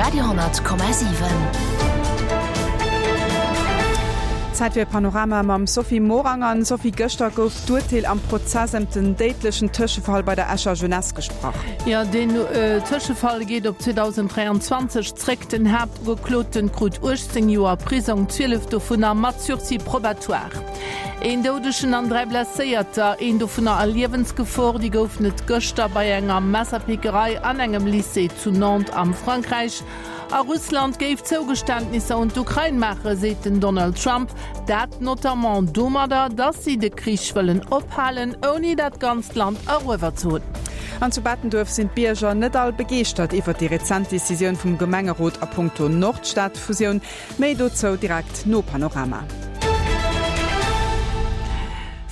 Radio,7. Zäit fir e Panorama mam Sophie Morang. An Sophie, gëschter gouf d'Urteel am Prozess ëm den déidlechen Tëschefall bei der Escher Jeunesse gesprach. Jo, deen Tëschefall geet op 2023 zréck. Den Haaptugekloten krut 18 Joer Prisong, 12 dovunner mat Sursis probatoire. Een Doudegen an 3 Blesséierter, een dovunner a Liewensgefor, déi goufen et gëschter bei enger Messerpickerei an engem Lycée zu Nantes am Frankräich. A Russland géif Zougeständnisser un d'Ukrain maachen, seet den Donald Trump. Dat notamment domadder, datt si de Krich wëllen ophalen, ouni dat ganzt Land eruewer ze hunn. An zu Bettenduerf sinn d'Bierger net all begeeschtert iwwert déi rezent Decisioun vum Gemengerot a punkto Nordstad-Fusioun. Méi dozou direkt no Panorama.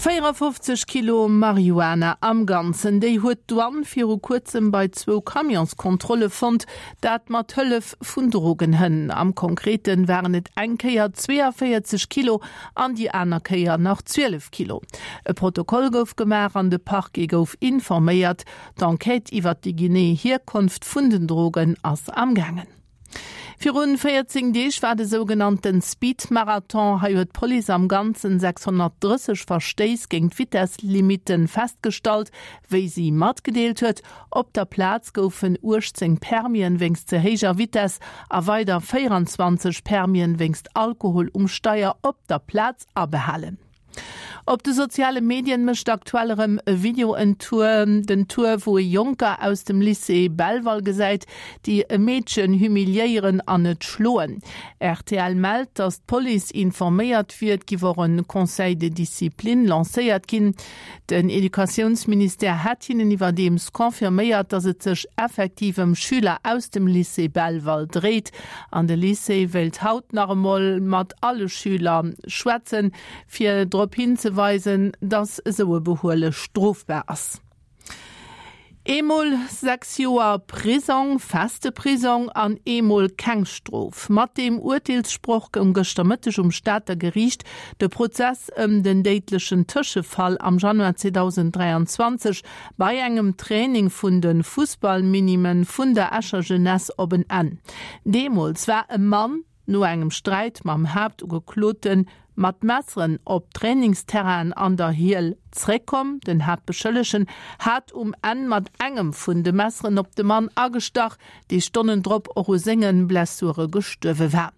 54 Kilo Marihuana am Ganzen, déi huet d'Douane viru kuerzem bei zwou Camionskontrolle fonnt, dat mat Hëllef vun Drogenhënn. Am Konkrete waren et eng Kéier 42 Kilo an déi aner Kéier nach 12 Kilo. E Protokoll gouf gemaach an de Parquet gouf informéiert. D'Enquête iwwert déi genee Hierkonft vun den Drogen ass amgaangen. Virun 14 Deeg war de sougenannten Speed-Marathon. Hei huet d'Police am Ganzen 630 Verstéiss géint d'Vitesslimitten festgestallt, wéi si matgedeelt huet. Op der Plaz goufen 18 Permien wéinst ze héijer Vitess a weider 24 Permien wéinst Alkohol um Steier op der Plaz abehalen. Op de soziale Medien mécht aktuell erëm e Video en Tour, den Tour, wou e Jonker aus dem Lycée Belval gesäit, déi e Meedchen humiliéieren an et schloen. Rtl mellt, datt d'Police informéiert wier, et giff och e Conseil de discipline lancéiert ginn. Den Educatiounsministère hätt hinnen iwwerdeems confirméiert, datt et sech effektiv ëm Schüler aus dem Lycée Belval dréit. An de Lycée wéilt haut nach emol mat alle Schüler schwätzen, fir drop hinzeweisen, dass esou e Behuele strofbar ass. Eemol 6 Joer Prisong, feste Prisong, an eemol keng Strof. Mat deem Urteelssproch goung gëschter Mëtteg um Stater Geriicht de Prozess ëm den déidlechen Tëschefall am Januar 2023 bei engem Training vun de Fussballminimen vun der Escher Jeunesse op en Enn. Deemools war e Mann, No engem Sträit mam Haaptugeklote mat Messeren op d'Trainingsterrainen an der Hiel zréckkomm. Den Haaptbeschëllegen hat um Enn mat engem vun de Messeren op de Mann agestach, dee Stonnen drop och u senge Blessure gestuerwe war.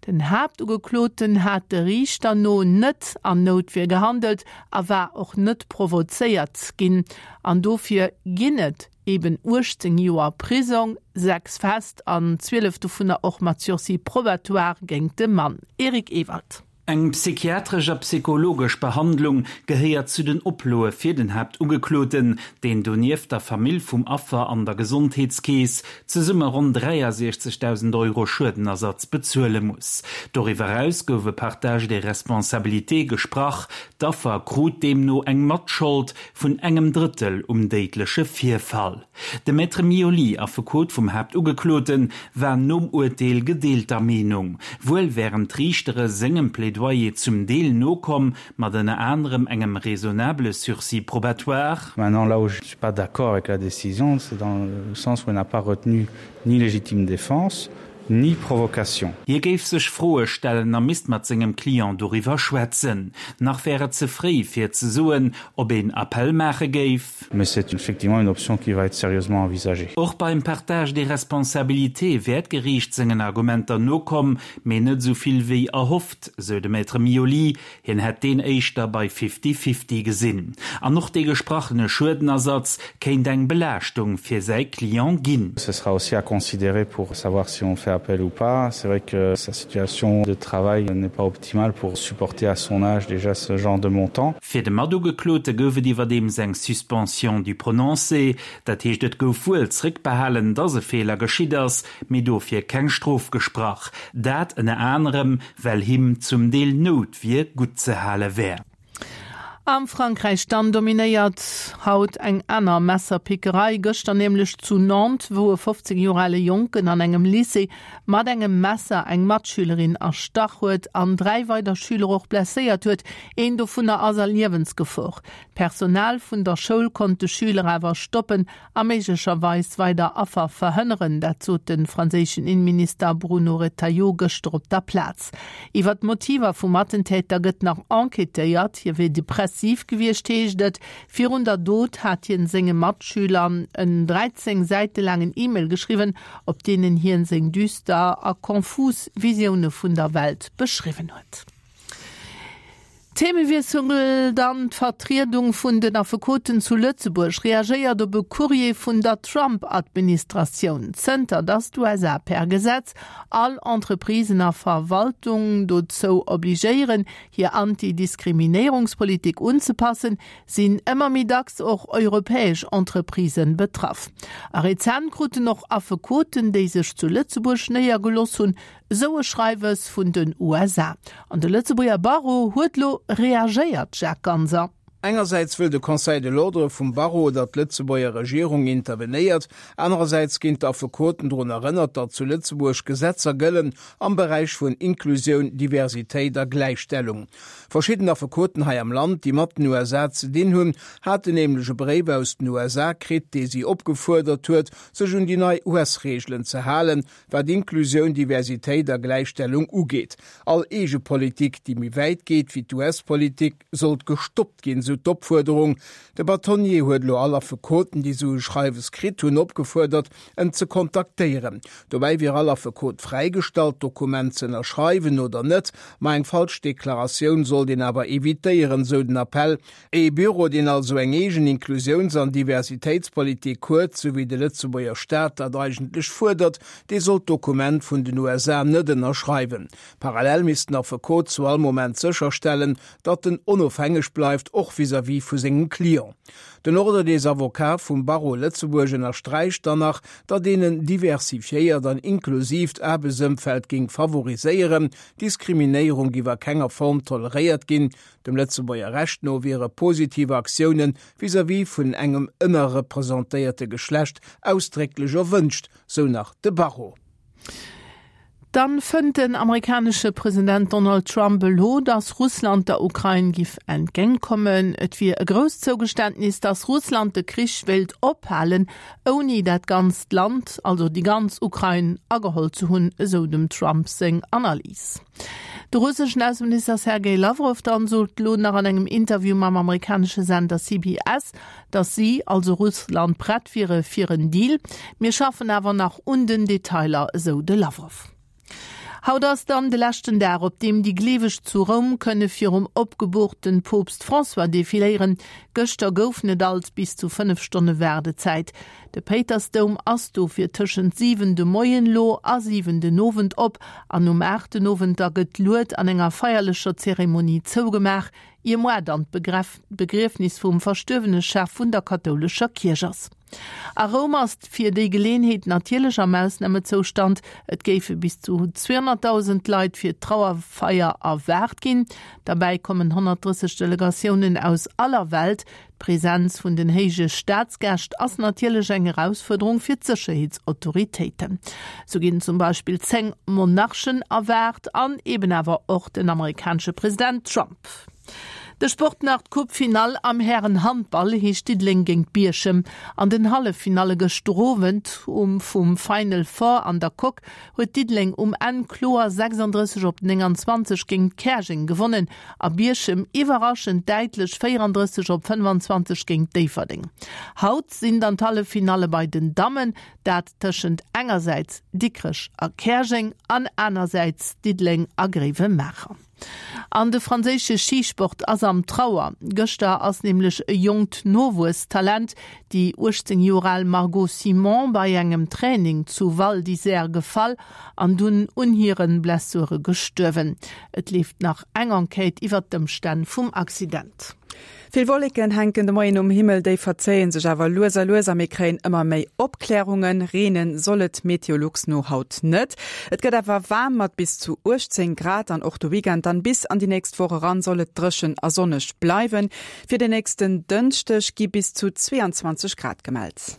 Den Haaptugekloten hat de Riichter no net an Noutwier gehandelt a war och net provozéiert ginn an dofir ginn et Eben 18 Joer Prisong, 6 fest an 12 dovunner och mat Sursis probatoire géint de Mann. Eric Ewald. Eng psychiatresch a psychologesch Behandlung gehéiert zu den Oploe fir den Haaptugekloten, deen donieft der Famill vum Affer an der Gesondheetskeess zesumme ronn 63.000 Euro Schuedenersatz bezuele muss. Doriwwer eraus gouf e Partage des responsabilités gesprach, d'Affer krut deemno eng Matschold vun engem Drëttel um déidleche Virfall. De Maître Mioli, Affekot vum Haaptugekloten, war nom Urteel gedeelter Meenung. Wuel wären d'Riichtere sengem Plädoyer zum Deel nokomm, mat ënner anerem engem raisonnable sursis probatoire. Maintenant, là où je ne suis pas d'accord avec la décision, c'est dans le sens où elle n'a pas retenu ni légitime défense, ni provocation. Hie géif sech Froe stellen a misst mat sengem Client doriwwer schwätzen. Nach wär et ze fréi fir ze soen, ob een Appell maache géif. Mais c'est effectivement une option qui va être sérieusement envisagée. Och beim Partage des responsabilités wär d'Geriicht sengen Argumenter nokomm, mee net esou vill wéi erhofft, sou de Maître Mioli. Hien hätt deen éischter bei Fifty-Fifty gesinn. An och dee gesprachene Schuedenersatz kéint eng Belaaschtung fir säi Client ginn. Ce sera aussi à considérer pour savoir si on fait appel ou pas. C'est vrai que sa situation de travail n'est pas optimale pour supporter à son âge déjà ce genre de montant. Fir de Matugeklote gouf et iwwerdeems eng Suspension du prononcé. Dat heescht, et gouf wuel zréckbehalen, dass e Feeler geschitt ass, mee dofir keng Strof gesprach. Dat ënner anerem, well him zum Deel Noutwier gutt ze hale wär. Am Frankräich dann dominéiert haut eng aner Messerpickerei. Gëschter nämlech zu Nantes, wou e 15 Joer ale Jonken an engem Lycée mat engem Messer eng Matschülerin erstach huet an 3 weider Schüler och blesséiert huet. Een dovunner ass a Liewensgefor. D'Personal vun der Schoul konnt de Schüler awer stoppen a méiglecherweis weider Affer verhënneren. Dat sot de franséischen Inneminister Bruno Retailleau gëschter op der Plaz. Iwwer d'Motiver vum Attentäter gëtt nach enquêtéiert. Hie wier depressiv gewiescht, heescht et. Virun der Dot hat hien senge Matschüler en 13 Säite laangen E-Mail geschriwwen, op deenen hien seng düster a konfus Visioune vun der Welt beschriwwen huet. Themewiessel dann, D'Vertriedung vun den Affekoten zu Lëtzebuerg reagéiert op e Courrier vun der Trump-Administratioun. Zënter datt d'USA per Gesetz all Entreprisen a Verwaltung dozou obligéieren, hir Anti-Diskriminéierungspolitik unzepassen, sinn ëmmer méi dacks och europäesch Entreprisë betraff. A rezent kruten och Affekoten, déi sech zu Lëtzebuerg néiergeloss hunn, Esou e Schreiwes vun den USA. An de Lëtzebuerger Barreau huet lo reagéiert, Jacques Ganser. Engersäits wëll de Conseil de l'Ordre vum Barreau, datt d'Lëtzebuerger Regierung intervenéiert, anerersäits ginn d'Affekoten drun erënnert, datt zu Lëtzebuerg Gesetzer gëllen am Beräich vun Inklusioun, Diversitéit a Gläichstellung. Verschidden Affekoten hei am Land, déi mat den USA ze dinn hunn, haten nämlech e Bréif aus den USA kritt, dee si opgefuerdert huet, sech un déi nei US-Reegelen ze halen, Wat Inklusioun, Diversitéit a Gläichstellung ugeet. All eege Politik, déi méi wäit geet wéi d'US-Politik, sollt gestoppt ginn, sou d'Opfuerderung. De Bâtonnier huet elo all Affekoten, déi sou e Schreiwes kritt hunn, opgefuerdert, en ze kontaktéieren. Dobäi wier all Affekot fräigestallt, d'Dokument ze ënnerschreiwen oder net, ma eng falsch Deklaratioun sollt een awer evitéieren, sou den Appell. Ee Büro, deen also eng eegen Inklusiouns an Diversitéitspolitik huet, sou wéi de Lëtzebuerger Staat dat eigentlech fuerdert, dee sollt d'Dokument vun den USA net ënnerschreiwen. Parallel misst den Affekot zu all Moment sécherstellen, datt en onofhängeg bleift, och vis-à-vis vu sengem Client. Den Ordre des Avocats vum Barreau Lëtzebuerg ënnersträicht dann nach, datt een en diversifiéiert an inklusiivt Aarbechtsëmfeld géing favoriséieren, Diskriminéierung géif a kenger Form toleréiert ginn. Dem Lëtzebuerger Recht no wiere positiv Aktioune vis-à-vis vun engem ënnerrepresentéierte Geschlecht ausdrécklech erwënscht, sou nach de Barreau. Dann fënnt den amerikanesche President Donald Trump elo, datt Russland der Ukrain giff entgéintkommen. Et wier e grousst Zougeständnis, datt Russland de Krich wéilt ophalen, ouni dat ganzt Land, also déi ganz Ukrain, ageholl ze hunn, esou dem Trump seng Analys. De russeschen Ausseminister Sergei Lawrow dann sot elo nach an engem Interview mam amerikanesche Sender CBS, datt si, also Russland, prett wiere fir en Deal. Mir schaffen awer nach un den Detailer, esou de Lawrow. Haut ass dann de leschten Dag, op deem déi Gleeweg zu Roum kënne virum opgeboorten Poopst François defiléieren. Gëschter goufen et alt bis zu 5 Stonne Waardezäit. De Péitersdoum ass dofir tëschent 7 de Moien lo a 7 den Owend op an um 8 den Owend da gëtt d'Lued an enger feierlecher Zeremonie zougemaach, ier moar dann d'Begriefnis vum verstuerwene Chef vun der kathoulescher Kierch ass. A Roum ass fir déi Geleenheet natierlech am Ausnamezoustand. Et géife bis zu 200.000 Leit fir d'Trauerfeier erwaart ginn. Derbäi kommen 130 Delegatiounen aus aller Welt. D'Presenz vun den héije Staatsgäscht ass natierlech eng Erausfuerderung fir d'Sécherheetsautoritéiten. Sou ginn zum Beispill 10 Monarchen erwaart an eben awer och den amerikanesche President Trump. De Sport nach, D'Coupe-Finall am Hären-Handball heescht Diddeleng géint Bierchem. An den Halleffinalle gëschter Owend um vum Final Four an der Coque huet Diddeleng um Enn kloer 36 op 29 géint Käerjeng gewonnen. A Bierchem iwwerraschend däitlech 34 op 25 géint Déifferdeng. Haut sinn dann d'Halleffinalle bei den Dammen, dat tëschent engersäits Dikrech a Käerjeng an anersäits Diddeleng a Gréiwemaacher. An de franséische Schisport ass am Trauer. Gëschter ass nämlech e jonkt Nowuesstalent, déi 18 Joer al Margot Simon, bei engem Training zu Val d'Isère gefall an dunn un hire Blessure gestuerwen. Et leeft nach eng Enquête iwwert d'Ëmstänn vum Accident. Vill Wolleken hänken de Moien um Himmel, déi verzéie sech awer lues a lues a mir kréien ëmmer méi Opklärungen. Reene soll et Meteolux no haut net. Et gëtt awer waarm mat bis zu 18 Grad an och de Weekend dann bis an déi nächst Woch eran soll et dréchen a sonneg bleiwen. Fir den nächsten Dënschdeg gi bis zu 22 Grad gemellt.